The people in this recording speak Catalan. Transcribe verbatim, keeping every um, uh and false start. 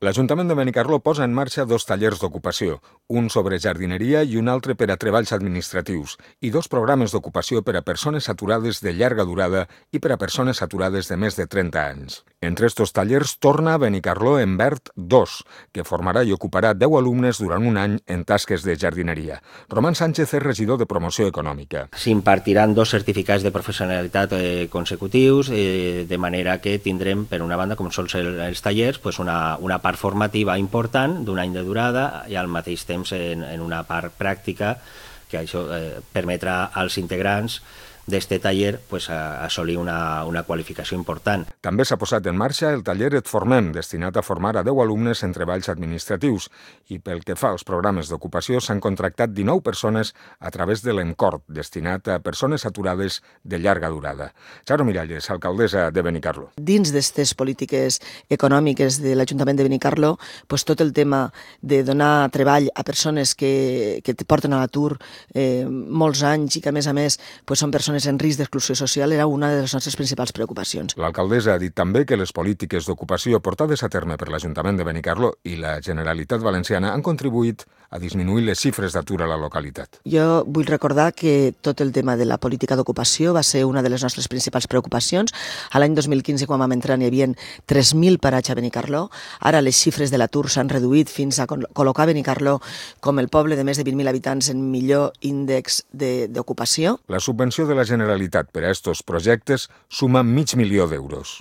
L'Ajuntament de Benicarló posa en marxa dos tallers d'ocupació, un sobre jardineria i un altre per a treballs administratius, i dos programes d'ocupació per a persones aturades de llarga durada i per a persones aturades de més de trenta anys. Entre estos tallers torna a Benicarló en Verd dos, que formarà i ocuparà deu alumnes durant un any en tasques de jardineria. Román Sánchez és regidor de Promoció Econòmica. S'impartiran dos certificats de professionalitat eh, consecutius, eh, de manera que tindrem, per una banda, com són els tallers, pues una, una part formativa important d'un any de durada i al mateix temps en, en una part pràctica que això eh, permetrà als integrants d'este taller pues, a assolir una, una qualificació important. També s'ha posat en marxa el taller Et Formem, destinat a formar a deu alumnes en treballs administratius, i pel que fa als programes d'ocupació s'han contractat dinou persones a través de l'Encort, destinat a persones aturades de llarga durada. Charo Miralles, alcaldessa de Benicarló. Dins d'aquestes polítiques econòmiques de l'Ajuntament de Benicarló, pues, tot el tema de donar treball a persones que, que porten a l'atur eh, molts anys i que, a més a més, pues, són persones en risc d'exclusió social era una de les nostres principals preocupacions. L'alcaldessa ha dit també que les polítiques d'ocupació portades a terme per l'Ajuntament de Benicarló i la Generalitat Valenciana han contribuït a disminuir les xifres d'atur a la localitat. Jo vull recordar que tot el tema de la política d'ocupació va ser una de les nostres principals preocupacions. A l'any dos mil quinze, quan vam entrar, n'hi havia tres mil parats a Benicarló. Ara les xifres de l'atur s'han reduït fins a col·locar Benicarló com el poble de més de vint mil habitants en millor índex d'ocupació. La subvenció de la Generalitat per a estos projectes suma mig milió d'euros.